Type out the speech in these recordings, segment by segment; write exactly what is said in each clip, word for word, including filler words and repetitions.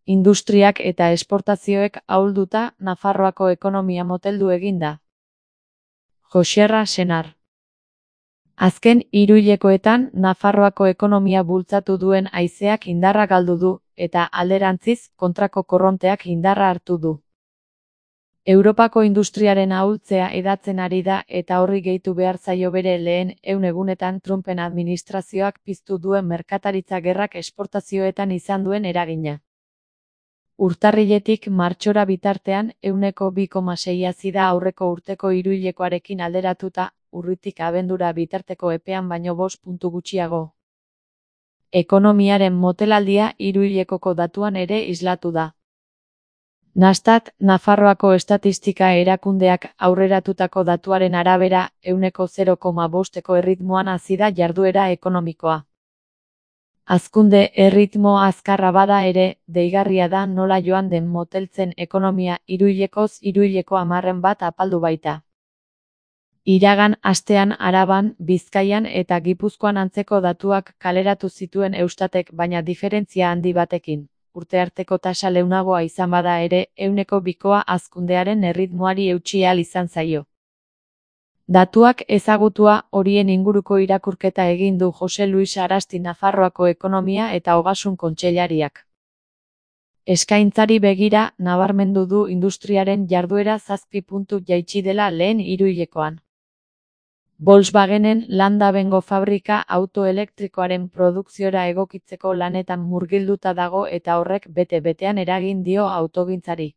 Industriak eta esportazioek ahulduta Nafarroako ekonomia moteldu egin da. Joxerra Senar. Azken hiruhilekoetan Nafarroako ekonomia bultzatu duen haizeak indarra galdu du, eta alderantziz kontrako korronteak indarra hartu du. Europako industriaren ahultzea hedatzen ari da eta horri gehitu behar zaio bere lehen ehun egunetan Trumpen administrazioak piztu duen merkataritza gerrak esportazioetan izan duen eragina. Urtarriletik martxora bitartean ehuneko bi koma sei hazi da aurreko urteko hiruhilekoarekin alderatuta, urritik abendura bitarteko epean baino bost puntu gutxiago. Ekonomiaren motelaldia hiruhilekoko datuan ere islatu da. Nastat, Nafarroako estatistika erakundeak aurreratutako datuaren arabera, ehuneko zero koma bosteko erritmoan hazi da jarduera ekonomikoa. Hazkunde erritmo azkarra bada ere, deigarria da nola joan den moteltzen ekonomia hiruhilekoz hiruhileko hamarren bat apaldu baita. Iragan astean Araban, Bizkaian eta Gipuzkoan antzeko datuak kaleratu zituen Eustatek baina diferentzia handi batekin. Urte arteko tasa leunagoa izan bada ere, ehuneko bikoa hazkundearen erritmoari eutsi ahal izan zaio. Datuak ezagutua horien inguruko irakurketa egin du Jose Luis Arasti Nafarroako Ekonomia eta Ogasun Kontseilariak. Eskaintzari begira, nabarmendu du industriaren jarduera zazpi puntu jaitsi dela lehen hiruhilekoan. Volkswagenen Landabengo fabrika auto elektrikoaren produkziora egokitzeko lanetan murgilduta dago eta horrek bete-betean eragin dio autogintzari.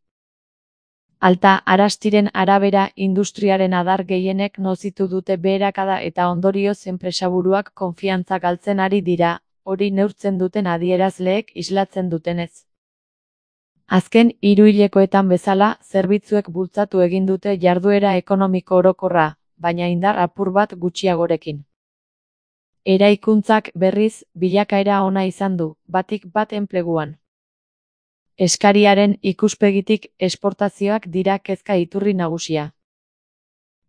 Alta Arastiren arabera industriaren adar gehienek nozitu dute beherakada eta ondorioz enpresaburuak konfiantza galtzen ari dira, hori neurtzen duten adierazleek islatzen dutenez. Azken hiruhilekoetan bezala, zerbitzuek bultzatu egin dute jarduera ekonomiko orokorra, baina indar apur bat gutxiagorekin. Eraikuntzak berriz, bilakaera ona izan du, batik bat enpleguan. Eskariaren ikuspegitik esportazioak dira kezka iturri nagusia.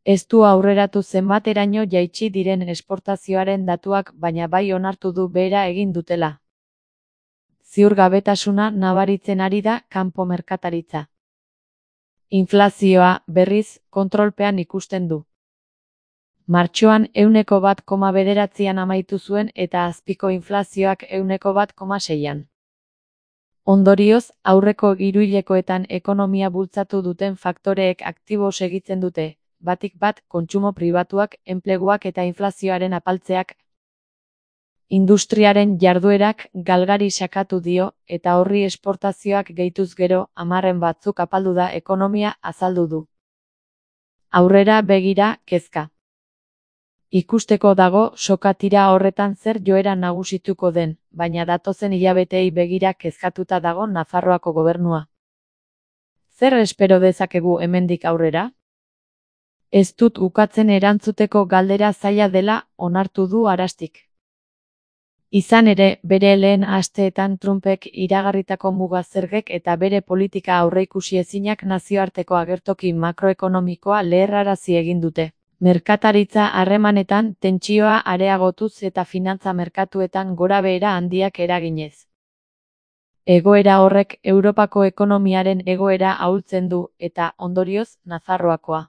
Ez du aurreratu zenbateraino jaitsi diren esportazioaren datuak baina bai onartu du behera egin dutela. Ziurgabetasuna nabaritzen ari da kanpo merkataritza. Inflazioa, berriz, kontrolpean ikusten du. Martxoan ehuneko bat koma bederatzian amaitu zuen eta azpiko inflazioak ehuneko bat koma seian. Ondorioz, aurreko hiruhilekoetan ekonomia bultzatu duten faktoreek aktibo segitzen dute, batik bat kontsumo pribatuak, enpleguak eta inflazioaren apaltzeak. Industriaren jarduerak galgari sakatu dio, eta horri esportazioak gehituz gero, hamarren batzuk apaldu da ekonomia azaldu du. Aurrera begira, kezka. Ikusteko dago sokatira horretan zer joera nagusituko den, baina datozen hilabetei begira kezkatuta dago Nafarroako gobernua. Zer espero dezakegu hemendik aurrera? Ez dut ukatzen erantzuteko galdera zaila dela onartu du Arastik. Izan ere, bere lehen asteetan Trumpek iragarritako muga zergek eta bere politika aurreikusi ezinak nazioarteko agertoki makroekonomikoa leherrarazi egin dute. Merkataritza harremanetan tentsioa areagotuz eta finantza merkatuetan gorabehera handiak eraginez. Egoera horrek Europako ekonomiaren egoera ahultzen du eta, ondorioz, Nafarroakoa.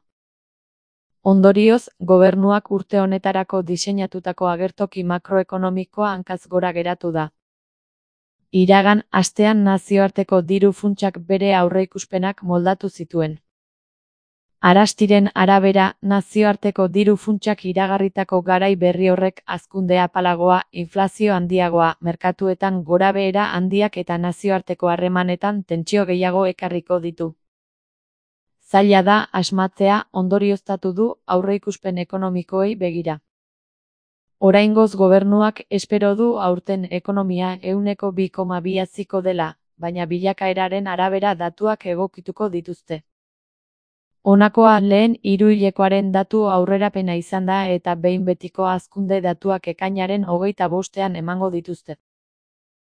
Ondorioz, gobernuak urte honetarako diseinatutako agertoki makroekonomikoa hankaz gora geratu da. Iragan astean nazioarteko diru funtsak bere aurreikuspenak moldatu zituen. Arastiren arabera, nazioarteko diru funtsak iragarritako garai berri horrek hazkunde apalagoa, inflazio handiagoa, merkatuetan gorabehera handiak eta nazioarteko harremanetan tentsio gehiago ekarriko ditu. Zaila da asmatzea ondorioztatu du aurreikuspen ekonomikoei begira. Oraingoz gobernuak espero du aurten ekonomia ehuneko bi koma bi haziko dela, baina bilakaeraren arabera datuak egokituko dituzte. Honakoa lehen hiruhilekoaren datu aurrerapena izan da eta behin betiko hazkunde datuak ekainaren hogeita bostean emango dituzte.